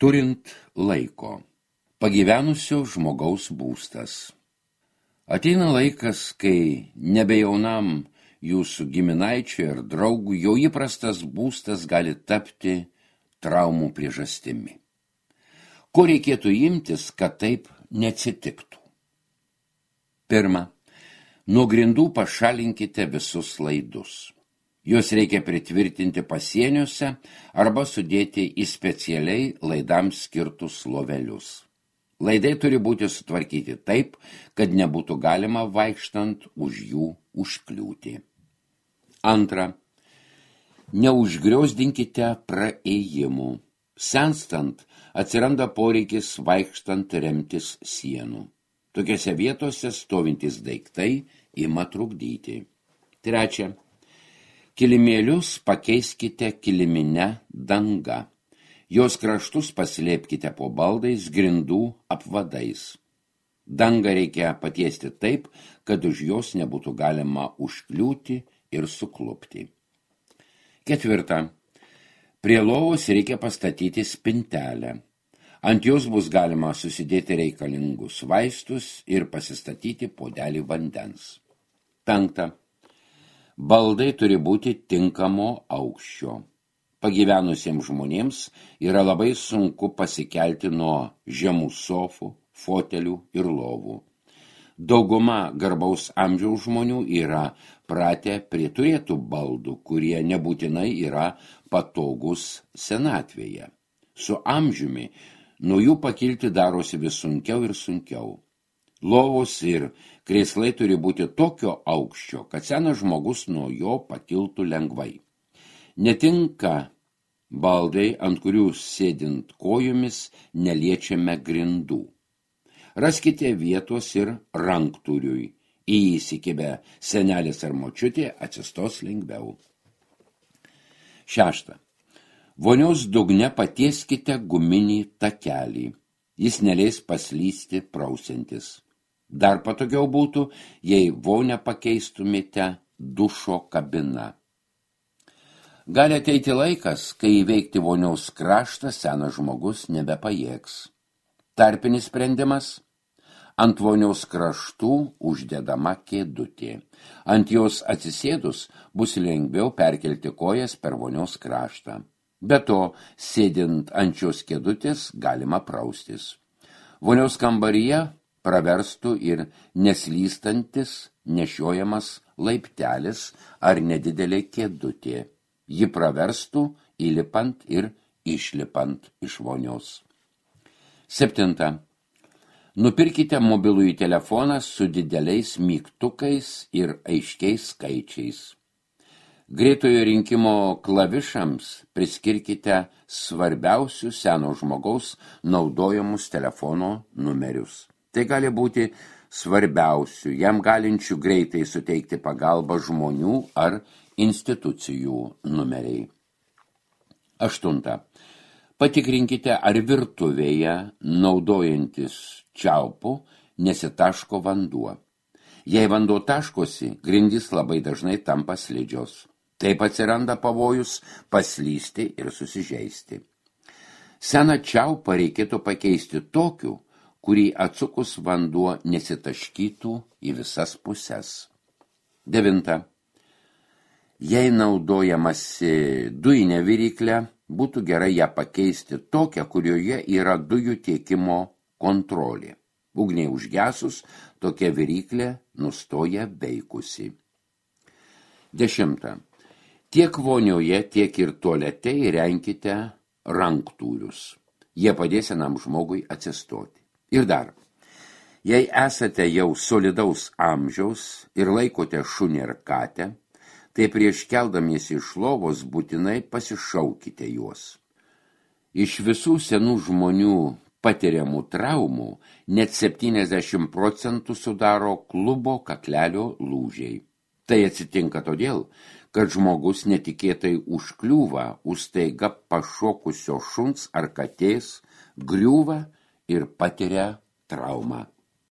Turint laiko. Pagyvenusio žmogaus būstas. Ateina laikas, kai nebejaunam jūsų giminaičiui ir draugui jau įprastas būstas gali tapti traumų priežastimi. Ko reikėtų imtis, kad taip neatsitiktų? Pirma, nuo grindų pašalinkite visus laidus. Juos reikia pritvirtinti pasieniuose arba sudėti į specialiai laidams skirtus lovelius. Laidai turi būti sutvarkyti taip, kad nebūtų galima vaikštant už jų užkliūti. Antra, neužgriozdinkite praėjimų. Senstant atsiranda poreikis vaikštant remtis sienų. Tokiose vietose stovintys daiktai ima trukdyti. Trečia, kilimėlius pakeiskite kilimine danga. Jos kraštus paslėpkite po baldais, grindų apvadais. Dangą reikia patiesti taip, kad už jos nebūtų galima užkliūti ir suklupti. Ketvirta, prie lovos reikia pastatyti spintelę. Ant jos bus galima susidėti reikalingus vaistus ir pasistatyti puodelį vandens. Penkta, baldai turi būti tinkamo aukščio. Pagyvenusiems žmonėms yra labai sunku pasikelti nuo žemų sofų, fotelių ir lovų. Dauguma garbaus amžiaus žmonių yra pratę prie turėtų baldų, kurie nebūtinai yra patogus senatvėje. Su amžiumi nuo jų pakilti darosi vis sunkiau ir sunkiau. Lovos ir krėslai turi būti tokio aukščio, kad senas žmogus nuo jo pakiltų lengvai. Netinka baldai, ant kurių sėdint kojomis neliečiame grindų. Raskite vietos ir ranktūriui. Į jį įsikibę senelis ar močiutė atsistos lengviau. Šešta. Vonios dugne patieskite guminį takelį. Jis neleis paslysti prausiantis. Dar patogiau būtų, jei vonę pakeistumėte dušo kabiną. Gali ateiti laikas, kai įveikti vonios kraštą senas žmogus nebepajėgs. Tarpinis sprendimas – ant vonios kraštų uždedama kėdutė. Ant jos atsisėdus bus lengviau perkelti kojas per vonios kraštą. Be to, sėdint ant šios kėdutės galima praustis. Vonios kambaryje praverstų ir neslystantis nešiojamas laiptelis ar nedidelė kėdutė. Ji praverstų įlipant ir išlipant iš vonios. Septinta. Nupirkite mobilųjį telefoną su dideliais mygtukais ir aiškiais skaičiais. Greitojo rinkimo klavišams priskirkite svarbiausius seno žmogaus naudojamus telefono numerius. Tai gali būti svarbiausių, jam galinčių greitai suteikti pagalbą žmonių ar institucijų numeriai. Aštunta. Patikrinkite, ar virtuvėje, naudojantis čiaupu, nesitaško vanduo. Jei vanduo taškosi, grindys labai dažnai tampa slidžios. Taip atsiranda pavojus paslysti ir susižeisti. Seną čiaupą reikėtų pakeisti tokiu, kurį atsukus vanduo nesitaškytų į visas puses. Devinta. Jei naudojamasi dujinę viryklę, būtų gerai ją pakeisti tokią, kurioje yra dujų tiekimo kontrolė. Ugniai užgesus, tokia viryklė nustoja veikusi. Dešimta. Tiek vonioje, tiek ir tualete įrenkite ranktūrius. Jie padės senam žmogui atsistoti. Ir dar, jei esate jau solidaus amžiaus ir laikote šunį ar katę, tai prieš keldamiesi iš lovos būtinai pasišaukite juos. Iš visų senų žmonių patiriamų traumų net 70% sudaro klubo kaklelio lūžiai. Tai atsitinka todėl, kad žmogus netikėtai užkliūva už staiga pašokusio šuns ar katės, griūva ir patiria traumą.